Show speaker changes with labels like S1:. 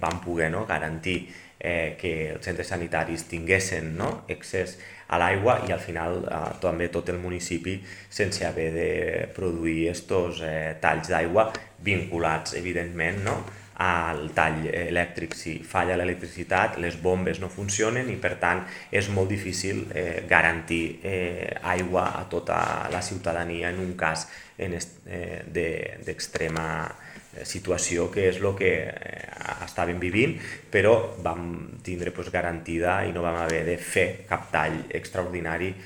S1: vam poder garantir que els centres sanitaris tinguessin accés a l'aigua i al final també tot el municipi sense haver de produir estos talls d'aigua vinculats evidentment al tall elèctric. Si falla l'electricitat, les bombes no funcionen i per tant és molt difícil garantir aigua a tota la ciutadania en un cas d'extrema situació, que és el que estàvem vivint, però vam tindre garantida i no vam haver de fer cap tall extraordinari